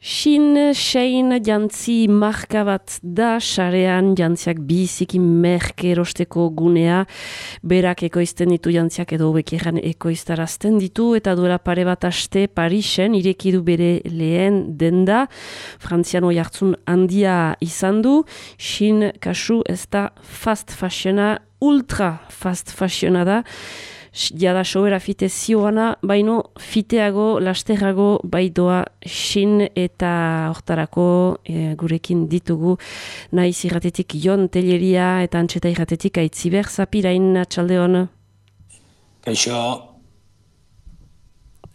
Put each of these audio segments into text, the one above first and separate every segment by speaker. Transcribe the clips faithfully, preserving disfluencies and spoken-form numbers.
Speaker 1: Shin Shein jantzi marka bat da, sarean jantziak biziki merke erosteko gunea, berak ekoizten ditu jantziak edo bekeran ekoiztarazten ditu, eta duela pare bat aste Parisen irekidu bere lehen denda, frantziano jartzun handia izan du, Shin kasu ez da fast fashiona, ultra fast fashiona da, jada sobera fite zioana, baino fiteago, lasterrago baidoa Shin eta hortarako e, gurekin ditugu naiz irratetik Jon Telleria eta Antxeta irratetik Aitziber Zapirain, atxaldeon.
Speaker 2: Kaixo.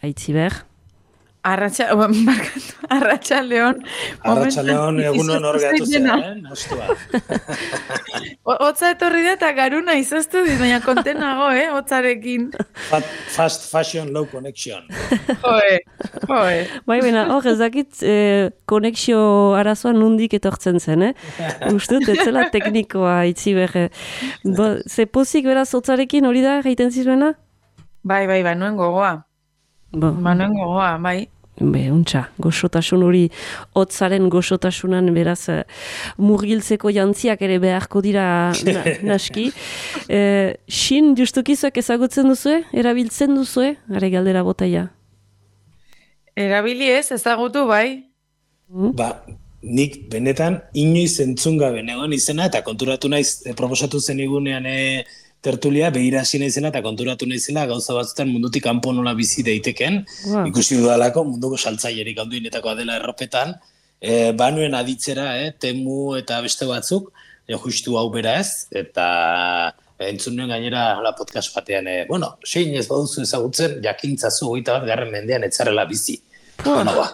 Speaker 1: Aitziber.
Speaker 3: Arratxa, Arratxaldeon.
Speaker 2: Arratxaldeon egunon hor gatu zen, eh? Nostua.
Speaker 3: Hotza etorri da eta garuna izaztu dit, baina kontenago, eh? Hotzarekin.
Speaker 2: Fast fashion, low connection.
Speaker 3: Joe, joe.
Speaker 1: Bai, baina, hor ez dakit eh, konexio arazoa nundik etortzen zen, eh? Ustut, ez zela teknikoa Aitziber. Ze pozik beraz hotzarekin hori da, gaiten zizuena?
Speaker 3: Bai, bai, bai, nuen gogoa.
Speaker 1: Bo.
Speaker 3: Manuen gogoa, bai.
Speaker 1: Be, untxa, goxotasun hori, hotzaren goxotasunan beraz uh, murgiltzeko jantziak ere beharko dira na, naski. Uh, Shin, justukizuak ezagutzen duzue? Erabiltzen duzue? Are galdera botaia.
Speaker 3: Erabili ez, ezagutu bai.
Speaker 1: Mm?
Speaker 2: Ba, nik benetan inoiz entzun gabe negoen izena, eta konturatu naiz, e, proposatu zen igunean e, tertulia, behira hasi naizela eta konturatu naizela gauza batzutan mundutik kanpo nola bizi daiteken, wow. Ikusi dudalako munduko saltzailerik handienetakoa dela erropetan, e, banuen aditzera, eh, Temu eta beste batzuk, e, justu hau bera ez, eta entzun nuen gainera la podcast batean, e, bueno, Shein ez baduzu ezagutzen, jakintzazu hogeita bat garren mendean etzarela bizi.
Speaker 1: Wow.
Speaker 2: Bueno, ba,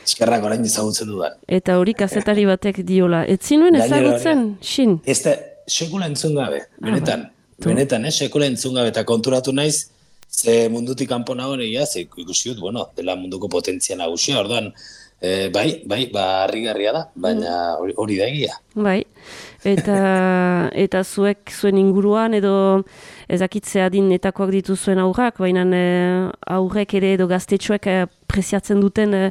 Speaker 2: eskerrak orain ezagutzen dudan.
Speaker 1: Eta hori kazetari batek diola. Ez zinuen ezagutzen, Shin?
Speaker 2: Ez da, sekula entzun gabe, benetan. Ah, Benetan, eh, sekula entzun gabe eta konturatu naiz, ze mundutik kanpo nagoen egia, ze ikusi dut, bueno, dela munduko potentzia nagusia, orduan, e, bai, bai, ba, harrigarria da, baina hori, hori da egia.
Speaker 1: Bai, eta, eta zuek zuen inguruan edo ezakitzea dinetakoak dituzuen aurrak, baina e, aurrek ere edo gaztetxoek e, preziatzen duten e,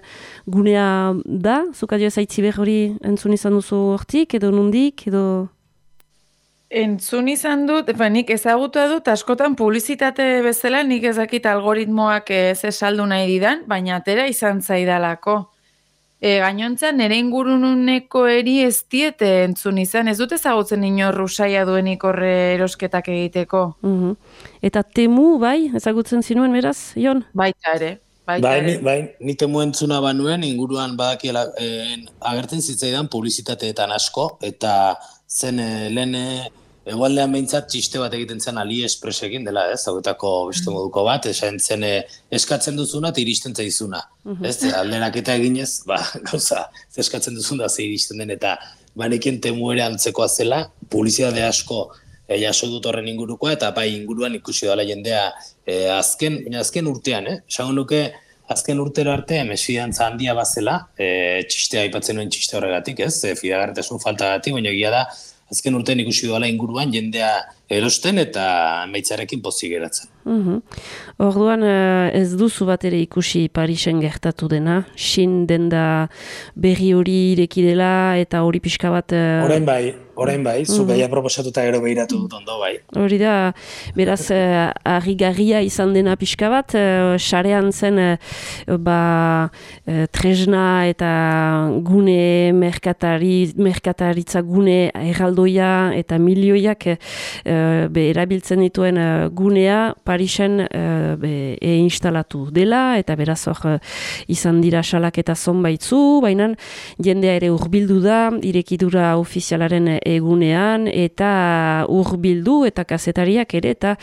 Speaker 1: gunea da, zukadio ez Aitziber hori entzun izan duzu hortik, edo nundik, edo...
Speaker 3: Entzun izan dut, ba, nik ezagutua dut, askotan publizitate bezala nik ezakit algoritmoak ez esaldu nahi didan, baina atera izan zaidalako. E, gainontza, nire inguruneko eri ez diete entzun izan, ez dut ezagutzen inor rusaia duenik horre erosketak egiteko.
Speaker 1: Uh-huh. Eta Temu, bai, ezagutzen zinuen beraz, Jon?
Speaker 3: Baita ere. Baita
Speaker 2: bai,
Speaker 3: ere.
Speaker 2: Ni, bai, ni Temu entzuna banuen, inguruan badakiela, eh, agertzen zitzaidan publizitateetan asko, eta zen eh, lehen egualdean behintzat txiste bat egiten zen AliExpressekin dela, ez, hauetako beste moduko bat, esan zen eh, eskatzen duzuna eta iristen zaizuna. Uh-huh. Ez, alderaketa eginez, ba, gauza, eskatzen duzuna ze iristen den, eta banekin Temu ere antzekoa zela, publizitate asko eh, jaso dut horren ingurukoa, eta bai inguruan ikusi dela jendea eh, azken, azken urtean, eh, esango nuke, azken urtero arte mesfidantza handia bazela, e, txistea aipatzen nuen txiste horregatik, ez? E, fidagarritasun faltagatik, baina egia da, azken urtean ikusi doala inguruan jendea erosten eta emaitzarekin pozik geratzen.
Speaker 1: Uh-huh. Orduan ez duzu bat ere ikusi Parisen gertatu dena, Shin denda berri hori ireki dela eta hori pixka bat... Uh...
Speaker 2: Orain bai, orain bai, zu uh-huh. Gaia proposatuta gero behiratu dut ondo bai.
Speaker 1: Hori da, beraz, uh, harrigarria izan dena pixka bat, uh, sarean zen uh, ba, uh, tresna eta gune merkatari, merkataritza gune erraldoia eta milioiak uh, be, erabiltzen dituen uh, gunea Parisen uh, be, e instalatu dela, eta beraz hor uh, izan dira salak eta zonbaitzu, baina jendea ere hurbildu da, irekidura ofizialaren egunean, eta hurbildu eta kazetariak ere, eta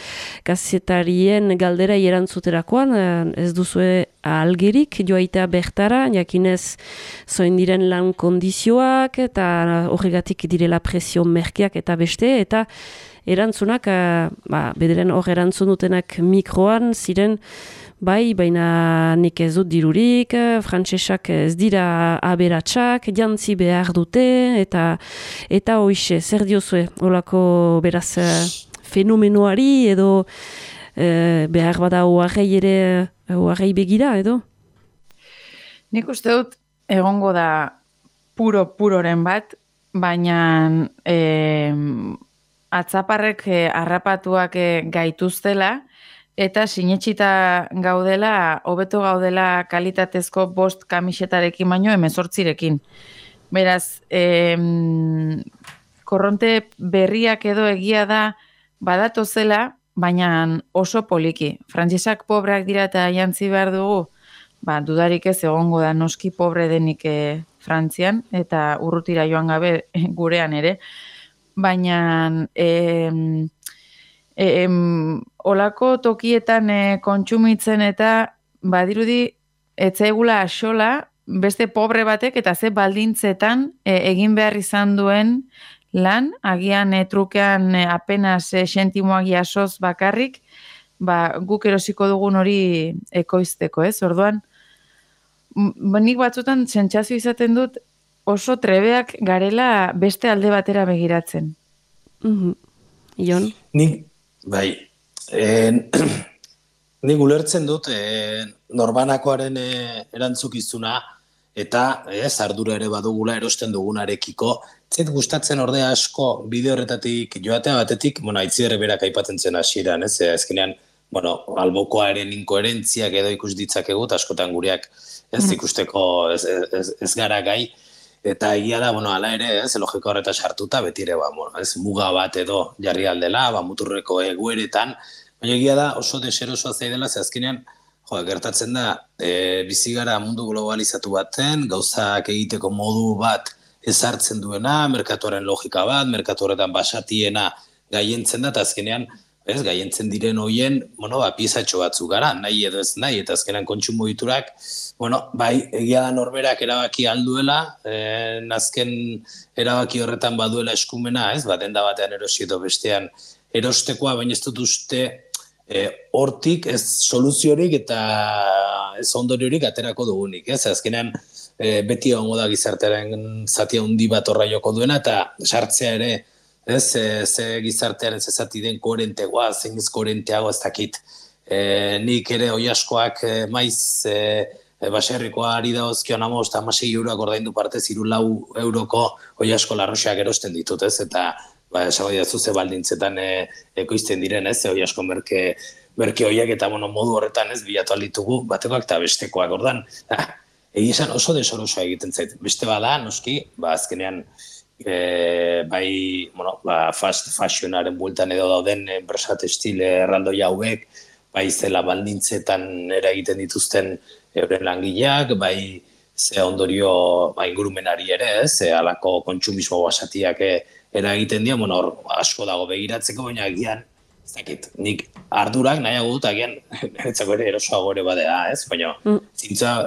Speaker 1: kazetarien galdera erantzuterakoan uh, ez duzue algerik joaitea bertara, jakinez zoin diren lan kondizioak, eta horregatik direla presio merkeak eta beste, eta erantzunak, ba, bederen hor erantzun dutenak mikroan ziren, bai, baina nik ez dut dirurik, frantsesak ez dira aberatsak, jantzi behar dute, eta eta hoixe, zer diozue, holako beraz fenomenoari, edo e, behar bada oarrei ere, oarrei begira, edo?
Speaker 3: Nik uste dut, egongo da puro-puroren bat, baina e, atzaparrek e, harrapatuak e, gaituztela, eta sinetxita gaudela, hobeto gaudela kalitatezko bost kamisetarekin baino hemezortzirekin. Beraz, e, korronte berriak edo egia da badatozela, baina oso poliki. Frantsesak pobreak dira eta jantzi behar dugu, ba, dudarik ez egongo da noski pobre denik e, Frantzian, eta urrutira joan gabe e, gurean ere. Baina e, e, olako tokietan e, kontsumitzen eta badirudi etzaigula axola beste pobre batek eta ze baldintzetan e, egin behar izan duen lan, agian e, trukean e, apenas e, sentimoak jasoz bakarrik, ba, guk erosiko dugun hori ekoizteko, ez? Orduan, nik batzutan sentsazio izaten dut oso trebeak garela beste alde batera begiratzen.
Speaker 1: Mm-hmm. Ion?
Speaker 2: Nik, bai, en, nik ulertzen dut e, norbanakoaren e, erantzukizuna eta ez ardura ere badugula erosten dugunarekiko. Zait gustatzen ordea asko bideo horretatik joatea batetik, bueno, Aitziber berak aipatzen zen hasieran, ez? Azkenean, bueno, albokoaren inkoherentziak edo ikus ditzakegu, askotan gureak ez ikusteko ez, ez, ez gara gai, eta egia da, bueno, ala ere, ez, logika horreta sartuta, beti ere, ba, bueno, ez, muga bat edo jarri aldela, ba, muturreko egueretan, baina egia da oso deserosoa zaidela, ze azkenean, jo, gertatzen da, e, bizi gara mundu globalizatu baten, gauzak egiteko modu bat ezartzen duena, merkatuaren logika bat, merkatu horretan basatiena gaientzen da, eta azkenean, ez, gaientzen diren hoien, bueno, ba, piezatxo batzu gara, nahi edo ez nahi, eta azkenan kontsumo diturak, bueno, bai, egia da norberak erabaki alduela, eh, azken erabaki horretan baduela eskumena, ez, bat enda batean erosi edo bestean erostekoa, baina ez dut uste eh, hortik ez soluziorik eta ez ondoriorik aterako dugunik, ez, azkenean eh, beti egongo da gizartearen zati handi bat horra joko duena, eta sartzea ere, ez, e, ze gizartearen zezati den koherentegoa, zein ez koherenteago ez dakit. E, nik ere oiaskoak e, maiz e, e, baserrikoa ari da ozkion amos, eta amasei euroak ordaindu partez, iru lau euroko oiasko larroxeak erosten ditut, ez, eta ba, esabai da zuze baldintzetan e, ekoizten diren, ez, oiasko merke, merke oiak eta bueno, modu horretan ez bilatu alditugu, batekoak eta bestekoak, ordan, egia esan oso desorosoa egiten zait, beste bada, noski, ba, azkenean, E, bai, bueno, ba, fast fashionaren bueltan edo dauden enpresa textile erraldoi hauek, bai zela baldintzetan eragiten dituzten euren langileak, bai ze ondorio ba, ingurumenari ere, ez, ze alako kontsumismo basatiak eragiten dira, bueno, hor asko dago begiratzeko, baina agian, ez dakit, nik ardurak nahiago dut, agian, niretzako ere erosoago ere badea, ez, baina mm.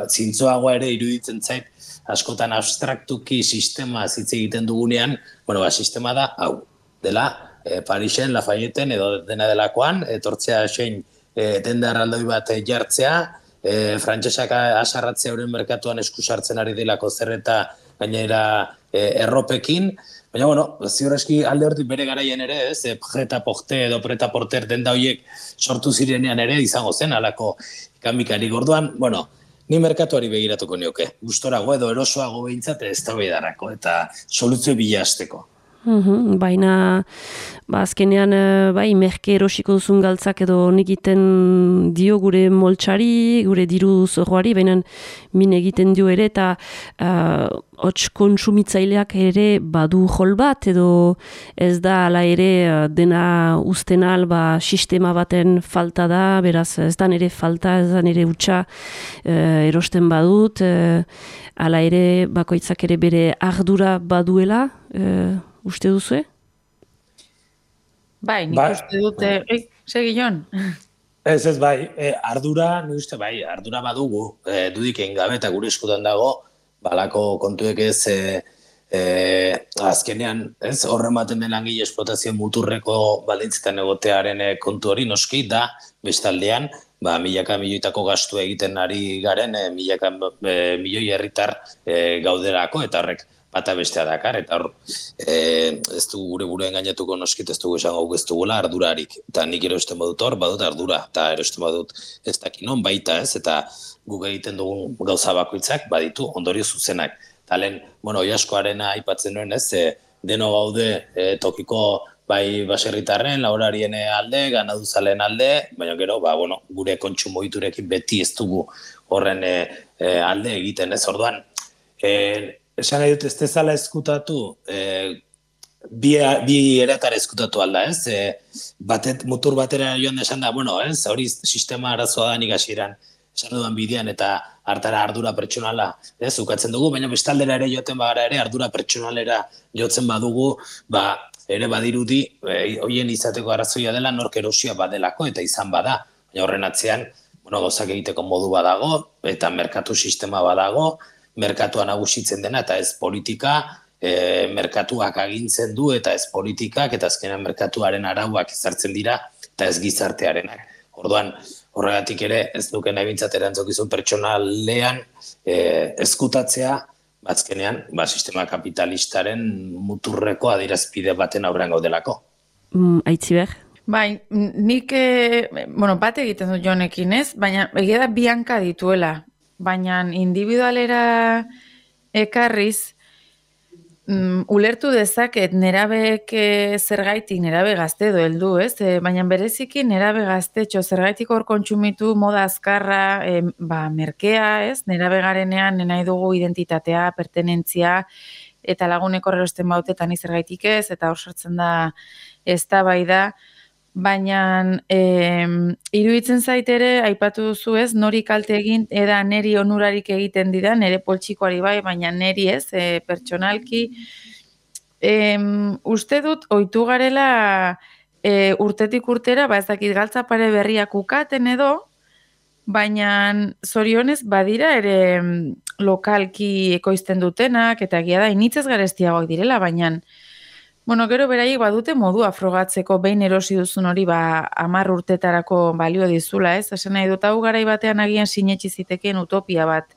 Speaker 2: zintzoagoa ere iruditzen zait, askotan abstraktuki sistema hitz egiten dugunean, bueno, ba, sistema da, hau, dela, e, Parisen, Lafayeten, edo dena delakoan, etortzea zein e, denda erraldoi bat e, jartzea, e, frantsesak asarratzea euren merkatuan eskusartzen ari delako zer eta gainera e, erropekin, baina, bueno, ziurreski alde hortik bere garaian ere, ez, e, preta porte edo preta porter denda horiek sortu zirenean ere izango zen, alako ikamikarik orduan, bueno, ni merkatuari begiratuko nioke, gustorago edo erosoago behintzat ez da behidarako, eta soluzio bilazteko.
Speaker 1: Uhum, baina, ba, azkenean, bai, merke erosiko duzun galtzak edo nik egiten dio gure moltsari, gure diru zorroari, baina min egiten dio ere, eta uh, hots kontsumitzaileak ere badu jol bat, edo ez da ala ere dena usten al, ba, sistema baten falta da, beraz ez da nire falta, ez da nire utxa uh, erosten badut, uh, ala ere bakoitzak ere bere ardura baduela, uh, uste duzu,
Speaker 3: Bai, nik ba, uste dute, bai. Segi Jon.
Speaker 2: Ez, ez, bai, e, ardura, nik uste, bai, ardura badugu, e, dudik egin gabe eta gure eskutan dago, balako kontuek ez, e, e, azkenean, ez, horren baten den langile esplotazio muturreko baldintzetan egotearen kontu hori noski, da, bestaldean, ba, milaka milioitako gastu egiten ari garen, e, milaka e, milioi herritar e, gauderako, eta horrek, bata bestea dakar, eta hor, e, ez du gure buruen gainatuko noskit, ez dugu esan ez dugula ardurarik. Eta nik erosten badut hor, badut ardura, eta erosten badut ez dakinon baita ez, eta guk egiten dugun gauza bakoitzak baditu ondorio zuzenak. Eta lehen, bueno, Oiaskoarena aipatzen nuen ez, e, deno gaude e, tokiko bai baserritarren, laborarien alde, ganaduzalen alde, baina gero, ba, bueno, gure kontsumo ohiturekin beti ez dugu horren e, e, alde egiten ez, orduan. E, esan nahi dut ez dezala eskutatu, e, bi, bi eratara eskutatu alda, ez? E, batet, mutur batera joan esan da, bueno, ez? Hori sistema arazoa da nik hasieran esan dudan bidean eta hartara ardura pertsonala, ez? Ukatzen dugu, baina bestaldera ere joten bagara ere ardura pertsonalera jotzen badugu, ba, ere badirudi, e, hoien izateko arazoia dela nork erosia badelako eta izan bada. Baina horren atzean, bueno, gauzak egiteko modu badago eta merkatu sistema badago, merkatua nagusitzen dena eta ez politika, e, merkatuak agintzen du eta ez politikak eta azkenan merkatuaren arauak ezartzen dira eta ez gizartearenak. Orduan, horregatik ere ez duke nahi bintzat erantzokizun pertsonalean e, eskutatzea, bazkenean, ba, sistema kapitalistaren muturreko adierazpide baten aurrean gaudelako.
Speaker 1: Mm, Aitziber?
Speaker 3: Bai, nik, e, bueno, bat egiten dut Jonekin ez, baina egia da bi hanka dituela. Baina individualera ekarriz, mm, ulertu dezaket nerabeek zergaitik nerabe gazte edo heldu, ez? E, baina bereziki nerabe gaztetxo zergaitik hor kontsumitu moda azkarra, e, ba, merkea, ez? Nerabe garenean nahi dugu identitatea, pertenentzia, eta lagunek horrerosten bautetan zergaitik ez, eta hor sortzen da eztabaida. Baina e, iruditzen zait ere, aipatu duzu ez, nori kalte egin, eda neri onurarik egiten dida, nere poltsikoari bai, baina neri ez, e, pertsonalki. E, uste dut, ohitu garela e, urtetik urtera, ba ez dakit galtza pare berriak ukaten edo, baina zorionez badira ere lokalki ekoizten dutenak, eta egia da, initzez garestiagoak direla, baina bueno, gero beraiek badute modua frogatzeko behin erosi duzun hori ba hamar urtetarako balio dizula, ez? Esan nahi dut hau garai batean agian sinetsi zitekeen utopia bat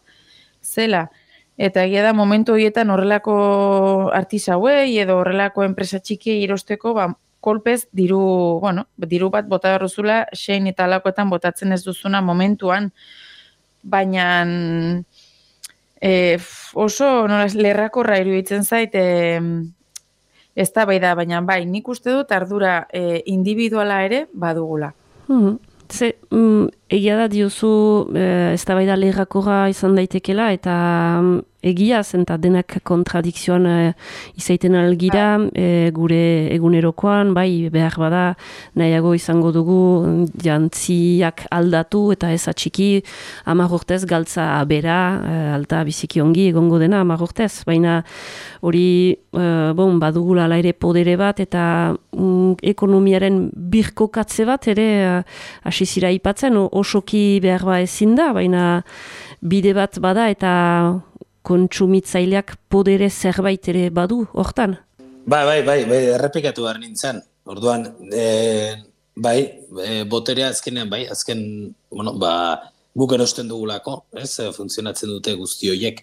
Speaker 3: zela. Eta egia da momentu horietan horrelako artisauei edo horrelako enpresa txikiei erosteko ba kolpez diru, bueno, diru bat bota berruzula sein eta alakoetan botatzen ez duzuna momentuan, baina e, oso nola, lerrakorra iruditzen zait e, ez da bai da, baina bai, nik uste dut ardura e, individuala ere badugula.
Speaker 1: Hmm. Ze, mm, egia da diozu e, ez da bai da lerrakorra izan daitekela eta mm, egia zen eta denak kontradikzioan e, izaiten algira e, gure egunerokoan, bai behar bada nahiago izango dugu jantziak aldatu eta ez atxiki hamar urtez galtza bera, e, alta biziki ongi egongo dena hamar urtez, baina hori e, bon, badugula ala ere podere bat eta mm, ekonomiaren birkokatze bat ere hasi e, zira ipatzen, osoki behar ba ezin da, baina bide bat bada eta kontsumitzaileak podere zerbait ere badu, hortan?
Speaker 2: Bai, bai, bai, bai, errepikatu behar nintzen. Orduan, e, bai, e, boterea azkenean, bai, azken, bueno, ba, guk erosten dugulako, ez, funtzionatzen dute guzti horiek,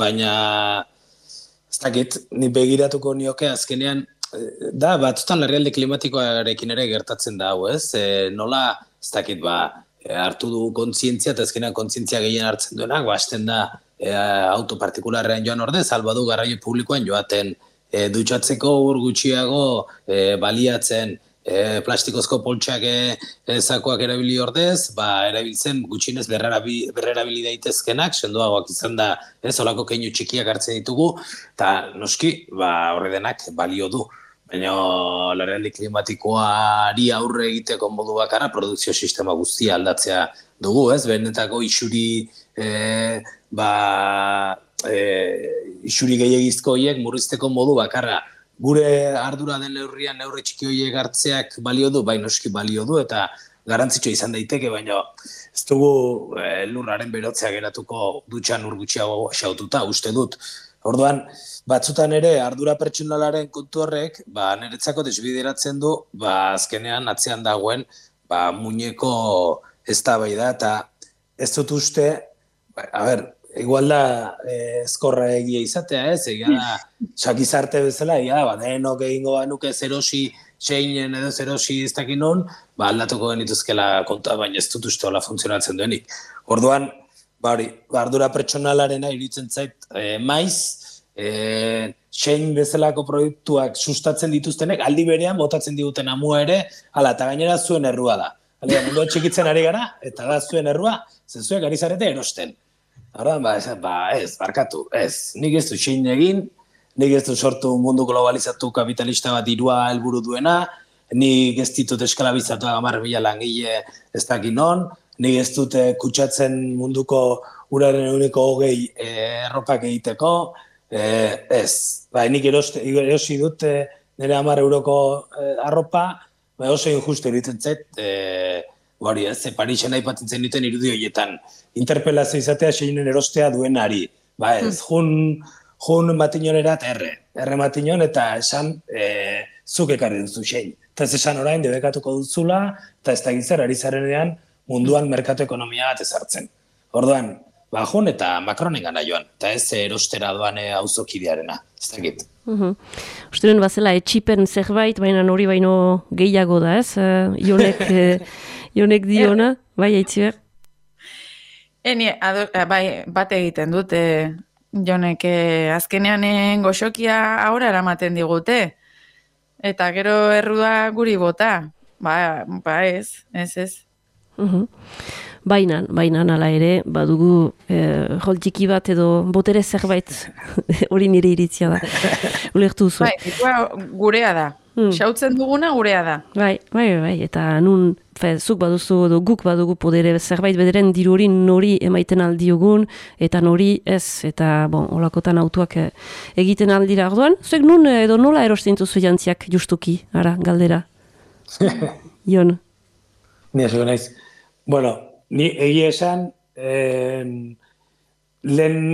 Speaker 2: baina, ez dakit, ni begiratuko nioke azkenean, da, batzutan larrialdi klimatikoarekin ere gertatzen da, hau, ez, e, nola, ez dakit, ba, hartu du kontzientzia, eta azkenean kontzientzia gehien hartzen duenak, ba, hasten da, E, auto partikularrean joan ordez, albadu garraio publikoan joaten e, dutxatzeko ur gutxiago e, baliatzen e, plastikozko poltsak e, e, zakoak erabili ordez, ba, erabiltzen gutxinez berrerabi, berrerabili daitezkenak, sendoagoak izan da, ez olako keinu txikiak hartzen ditugu, eta noski, ba, horre denak balio du. Baina larrialdi klimatikoari aurre egiteko modu bakarra produkzio sistema guztia aldatzea dugu, ez? Benetako isuri e, ba, e, isuri gehiagizko horiek murrizteko modu bakarra. Gure ardura den neurrian neurri txiki horiek hartzeak balio du, bai noski balio du, eta garantzitsua izan daiteke, baina ez dugu e, lurraren berotzea geratuko dutxan ur gutxiago xaututa, uste dut. Orduan, batzutan ere ardura pertsonalaren kontu horrek, ba, niretzako desbideratzen du, ba, azkenean atzean dagoen, ba, muñeko eztabaida eta ez dut uste, ba, a ber, igual da eh, ezkorra egia izatea, ez? Egia da, sakizarte bezala, egia da, ba, denok egingo banuke zerosi seinen edo zerosi ez dakin non, ba, aldatuko genituzkela konta, baina ez dut uste hola funtzionatzen duenik. Orduan, ba, hori, ardura pertsonalarena iruditzen zait, eh, maiz, eh, sein bezalako proiektuak sustatzen dituztenek, aldi berean botatzen diguten amua ere, ala, eta gainera zuen errua da. Alea, mundu txikitzen ari gara, eta da zuen errua, zenzuek ari zarete erosten. Horren, ba, ez, ba, ez, barkatu, ez. Nik ez du sein egin, nik ez du sortu mundu globalizatu kapitalista bat dirua helburu duena, nik ez ditut eskalabizatu hamar mila langile ez dakin non, nik ez dut kutsatzen munduko uraren uniko hogei erropak egiteko, eh, ez. Ba, nik eroste, erosi dut eh, nire hamar euroko eh, arropa, ba, oso injusto egiten zait, e, hori ez, Parisen aipatzen zen duten irudi horietan, interpelazio izatea seinen erostea duenari. Ba ez, jun, jun matinonerat erre, erre matinon eta esan e, zuk ekarri duzu sein. Eta ez esan orain debekatuko duzula, eta ez da gitzer ari zarenean munduan merkatu ekonomia bat ezartzen. Orduan, ba jun eta Macronen gana joan, eta ez erostera doan auzokidearena, ez da git.
Speaker 1: Uhum. Usteren bazela etxipen zerbait, baina hori baino gehiago da, ez? Uh, jonek, uh, jonek diona, bai, Aitziber?
Speaker 3: Eni, ado, bai, bat egiten dut, eh, jonek eh, azkenean goxokia aurra eramaten digute. Eta gero errua guri bota. Ba, ba ez, ez, ez.
Speaker 1: Uhum. Bainan, bainan ala ere, badugu eh, joltiki bat edo botere zerbait hori nire iritzia da. Ulertu zu.
Speaker 3: Bai, gurea da. Hmm. Xautzen duguna gurea da.
Speaker 1: Bai, bai, bai, eta nun, fe, zuk baduzu edo guk badugu podere zerbait bederen diru hori nori emaiten aldiogun, eta nori ez, eta bon, olakotan autuak eh, egiten aldira orduan. Zuek nun edo nola erosten duzu jantziak justuki, ara, galdera. Jon.
Speaker 2: Ni ez naiz. Bueno, ni egia esan, eh, lehen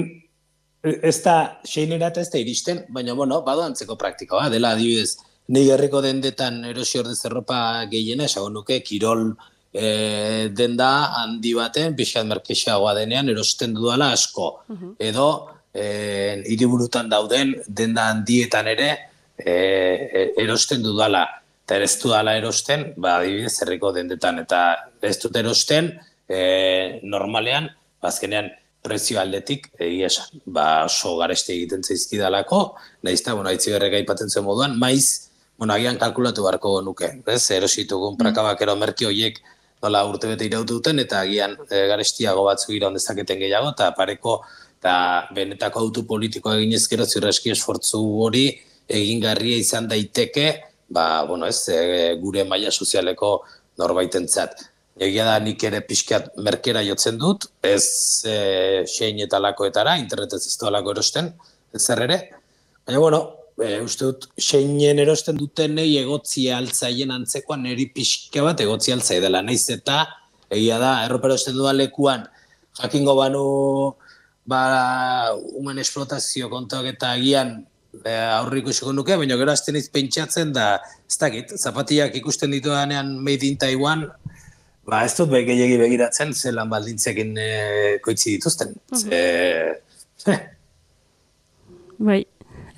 Speaker 2: ez da seinerat ez da iristen, baina, bueno, bado antzeko praktikoa, dela adibidez, ni herriko dendetan erosi ordez erropa gehiena, esago nuke, kirol e, denda handi baten, pixkat merkexeagoa denean, erosten dudala asko. Uh-huh. Edo, e, hiriburutan dauden denda handietan ere e, erosten dudala. Eta ez dudala erosten, ba, adibidez, herriko dendetan. Eta ez dut erosten, e, normalean, azkenean, prezio aldetik, egia esan, ba, oso gareste egiten zaizkidalako, naizta, bueno, Aitziberrek aipatzen zuen moduan, maiz, bueno, agian kalkulatu beharko nuke, ez? Erositugun prakabakero merki horiek nola urtebete irautu duten, eta agian e, garestiago batzu iraun dezaketen gehiago, eta pareko, eta benetako autu politikoa eginez gero zirreski esfortzu hori egingarria izan daiteke, ba, bueno, ez, e, gure maila sozialeko norbaitentzat. Egia da nik ere pixkat merkera jotzen dut, ez e, sein eta lakoetara, internetez ez doalako erosten, ez zer ere. Baina, bueno, e, uste dut, seinen erosten dutenei egotzia altzaien antzekoan niri pixka bat egotzia altzai dela. Naiz eta, egia da, erropa erosten dudan lekuan, jakingo banu, ba, human esplotazio kontuak eta agian, E, aurriko isiko nuke, baina gero azten iz pentsatzen da, ez dakit, zapatiak ikusten ditudanean made in Taiwan, ba ez dut gehiegi begiratzen, ze lan baldintzekin e, koitzi dituzten.
Speaker 1: Uh-huh.
Speaker 2: Ze...
Speaker 1: Bai,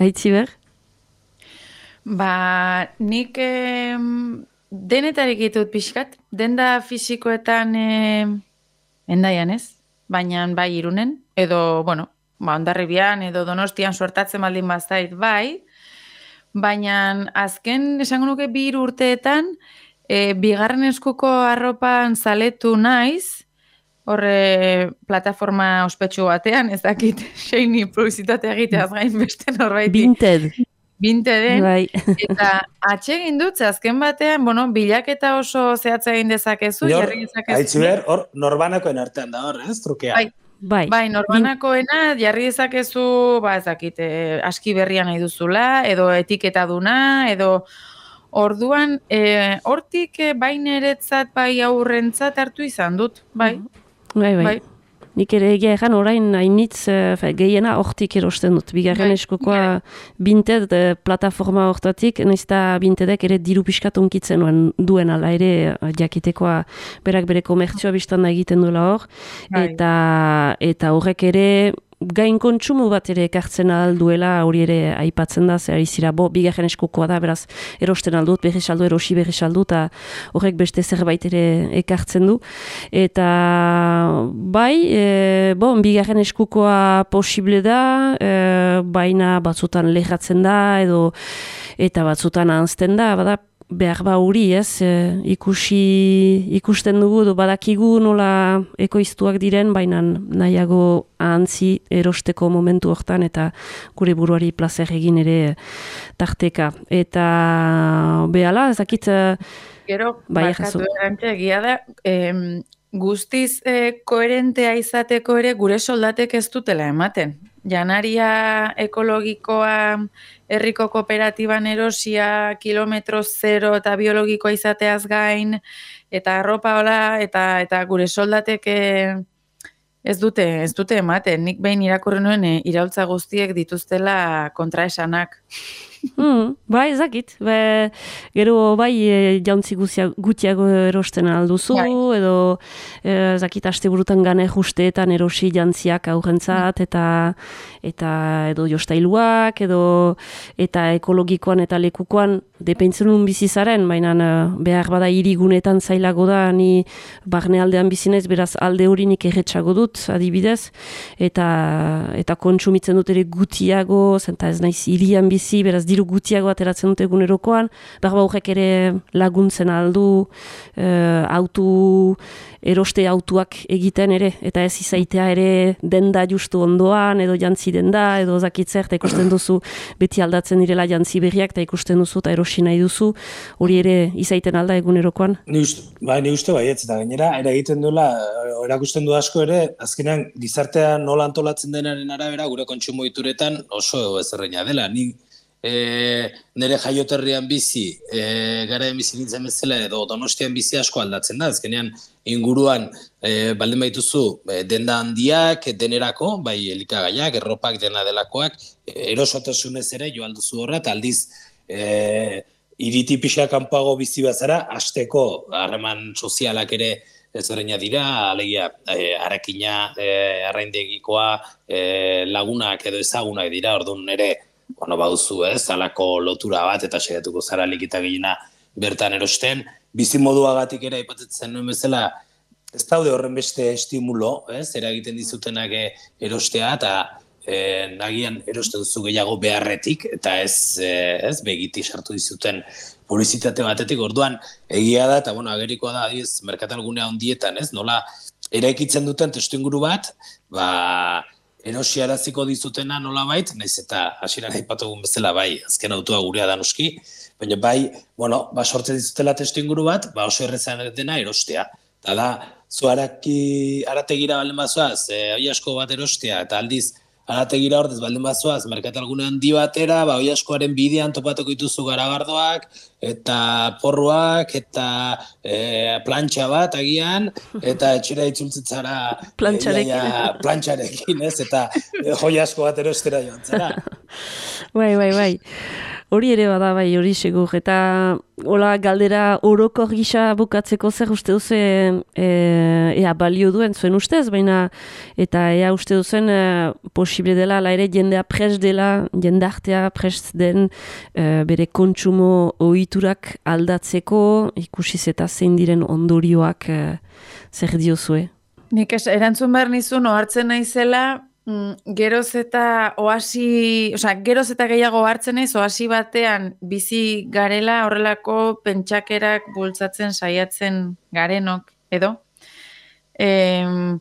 Speaker 1: Aitziber?
Speaker 3: Ba, nik eh, denetarik ditut pixkat, denda fisikoetan eh, endaian ez, baina bai Irunen, edo, bueno, ba, Hondarribian edo Donostian suertatzen baldin bazait bai, baina azken esango nuke bi hiru urteetan e, bigarren eskuko arropan zaletu naiz, horre plataforma ospetsu batean, ez dakit seini publizitatea egiteaz gain beste norbait.
Speaker 1: Vinted.
Speaker 3: Vinteden,
Speaker 1: bai.
Speaker 3: Eta atsegin dut, azken batean, bueno, bilaketa oso zehatza egin dezakezu, jarri dezakezu.
Speaker 2: Aitziber, hor norbanakoen artean da hor, ez, trukea.
Speaker 3: Bai. Bai, bai norbanakoena jarri dezakezu, ba ez dakit, eh, aski berria nahi duzula, edo etiketa duna, edo orduan, eh, hortik eh, bai neretzat, bai aurrentzat hartu izan dut, bai.
Speaker 1: Bai, bai. bai. Nik ere egia egan orain hainitz gehiena hortik erosten dut. Bigarren eskukoa binted plataforma hortatik, naizta bintedek ere diru pixkat onkitzen duen ala ere jakitekoa berak bere komertzioa biztan da egiten duela hor. Eta, eta horrek ere gain kontsumo bat ere ekartzen alduela hori ere aipatzen da, zer izira, bo, bigarren eskukoa da, beraz, erosten aldut, berri saldu, erosi berri saldu, eta horrek beste zerbait ere ekartzen du. Eta bai, e, bo, bigarren eskukoa posible da, e, baina batzutan lehatzen da, edo eta batzutan ahazten da, bada, behar ba hori, ez, e, ikusi, ikusten dugu, edo badakigu nola ekoiztuak diren, baina nahiago ahantzi erosteko momentu hortan, eta gure buruari plazer egin ere tarteka. Eta behala, ezakit...
Speaker 3: Gero, bakatu erantxe egia da, em, guztiz eh, koherentea izateko ere gure soldatek ez dutela ematen. Janaria ekologikoa herriko kooperatiban erosia, kilometro zero eta biologikoa izateaz gain, eta arropa hola, eta, eta gure soldatek ez dute, ez dute ematen. Nik behin irakurri nuen e, iraultza guztiek dituztela kontraesanak.
Speaker 1: Hmm, bai, ezakit. Be, gero bai e, jauntzi gutiago erosten alduzu, bai. Edo ezakit aste burutan gane justeetan erosi jantziak aurrentzat, eta eta edo jostailuak, edo eta ekologikoan eta lekukoan depeintzen un bizizaren, baina behar bada hirigunetan zailago da, ni barnealdean bizinez, beraz alde hori nik erretxago dut, adibidez, eta eta kontsumitzen dut ere gutiago, zenta ez naiz hirian bizi, beraz diru gutiago ateratzen dut egunerokoan, behar horrek ere laguntzen aldu, e, autu, eroste autuak egiten ere, eta ez izaitea ere denda justu ondoan, edo jantzi denda, edo zakitzer, eta ikusten duzu beti aldatzen direla jantzi berriak, eta ikusten duzu, eta erosi nahi duzu, hori ere izaiten alda egunerokoan.
Speaker 2: Ni uste, bai, ni uste baietz, eta gainera, ere egiten duela, erakusten du asko ere, azkenean gizartea nola antolatzen denaren arabera, gure kontsumo ituretan oso ezerreina dela. Ni E, nire jaioterrian bizi, e, gara bizi nintzen bezala edo Donostian bizi asko aldatzen da, azkenean inguruan e, baldin baituzu e, denda handiak, denerako, bai elikagaiak, erropak dena delakoak, e, erosotasunez ere jo alduzu horra, eta aldiz e, iriti pixka kanpago bizi bazara, hasteko harreman sozialak ere ezberdina dira, alegia e, arakina, e, arraindegikoa, e, lagunak edo ezagunak dira, orduan ere bueno, bauzu ez, alako lotura bat eta saiatuko zara likita gehiena bertan erosten. Bizimoduagatik ere aipatzen nuen bezala, ez daude horren beste estimulo, ez, eragiten dizutenak erostea, eta e, nagian erosten duzu gehiago beharretik, eta ez, e, ez begiti sartu dizuten publizitate batetik, orduan egia da, eta bueno, agerikoa da, adiz, merkatalgunea ondietan, ez, nola eraikitzen duten testuinguru bat, ba, erosiaraziko dizutena nolabait, naiz eta hasieran aipatugun bezala bai, azken autoa gurea da noski, baina bai, bueno, ba sortzen dizutela testuinguru bat, ba oso errezan dena erostea. Eta da, zu haraki, arategira baldin bazoaz, e, oi asko bat erostea, eta aldiz, arategira ordez baldin bazoaz, merkatalgune handi batera, ba oi askoaren bidean topatuko dituzu garagardoak, eta porruak, eta e, plantxa bat agian, eta etxera itzultzitzara
Speaker 1: plantxarekin,
Speaker 2: e, plantxarekin, ez, eta e, joi asko bat erostera joan zara.
Speaker 1: Bai, bai, bai. Hori ere bada bai, hori segur. Eta hola galdera orokor gisa bukatzeko zer uste duzu e, ea balio duen zuen ustez, baina eta ea uste duzen e, posible dela, ala ere jendea prest dela, jendartea prest den e, bere kontsumo ohiturak aldatzeko, ikusiz eta zein diren ondorioak e, zer diozue?
Speaker 3: Nik es, erantzun behar nizun, ohartzen naizela, Mm, geroz eta oasi, osea, geroz eta gehiago hartzen naiz oasi batean bizi garela horrelako pentsakerak bultzatzen saiatzen garenok edo em,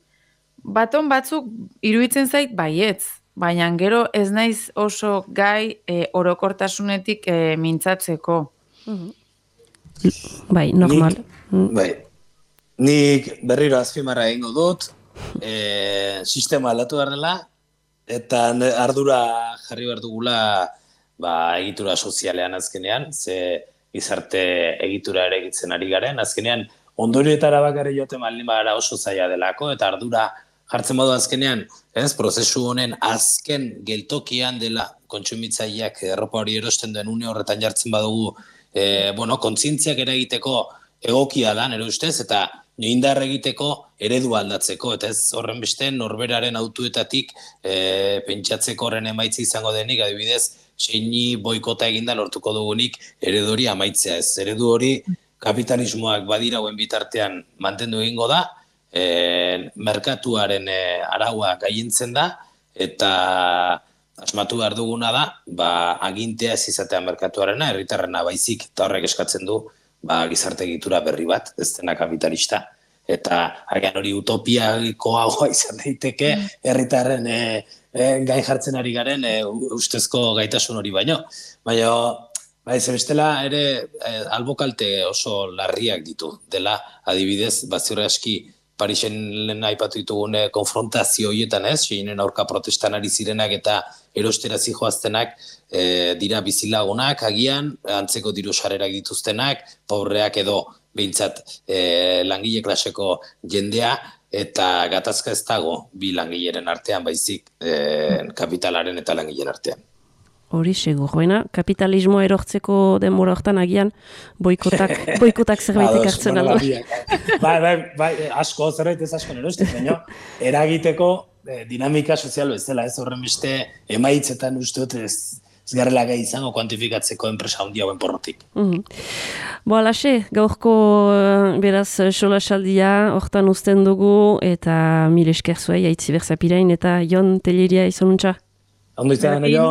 Speaker 3: baton batzuk iruditzen zait baietz, baina gero ez naiz oso gai e, orokortasunetik e, mintzatzeko.
Speaker 1: Bai, normal.
Speaker 2: Nik, bai, nik berriro azpimarra egingo dut, E, sistema aldatu behar dela, eta ardura jarri behar dugula ba, egitura sozialean azkenean, ze gizarte egitura ere egitzen ari garen, azkenean ondorioetara bakare joaten baldin bagara oso zaila delako, eta ardura jartzen badu azkenean, ez, prozesu honen azken geltokian dela kontsumitzaileak erropa hori erosten duen une horretan jartzen badugu, e, bueno, kontzientziak eragiteko egokia da, nire ustez, eta indar egiteko eredu aldatzeko, eta ez horren beste norberaren autuetatik e, pentsatzeko horren emaitza izango denik, adibidez, seini boikota eginda lortuko dugunik eredu hori amaitzea ez. Eredu hori kapitalismoak badirauen bitartean mantendu egingo da, e, merkatuaren e, araua gaientzen da, eta asmatu behar duguna da, ba, agintea ez izatea merkatuarena, herritarrena baizik, eta horrek eskatzen du, ba, gizarte egitura berri bat, ez dena kapitalista. Eta agian hori utopiakoagoa izan daiteke, herritarren e, e, gain jartzen ari garen e, ustezko gaitasun hori baino. Baina, ba, ez bestela ere e, albokalte oso larriak ditu. Dela, adibidez, baziur aski Parisen lehen aipatu ditugune konfrontazio horietan ez, seinen aurka protestan ari zirenak eta erostera zijoaztenak e, dira bizilagunak, agian, antzeko diru sarerak dituztenak, pobreak edo behintzat e, langile klaseko jendea, eta gatazka ez dago bi langileren artean, baizik e, kapitalaren eta langileen artean.
Speaker 1: Hori segur, baina kapitalismoa erortzeko denbora hortan agian boikotak, boikotak zerbaitek hartzen aldo.
Speaker 2: Bai, bai, bai, asko, zerbait ez asko nerostik, baina eragiteko eh, dinamika sozial bezala, ez horren beste emaitzetan uste dut ez, ez garrela gai izango kuantifikatzeko enpresa handi hauen porrotik. Mm-hmm.
Speaker 1: Bo, alaxe, gaurko beraz solasaldia hortan uzten dugu eta mil esker zuei, Aitziber Zapirain eta Jon Telleria izonuntza.
Speaker 2: Ondo izan, jo.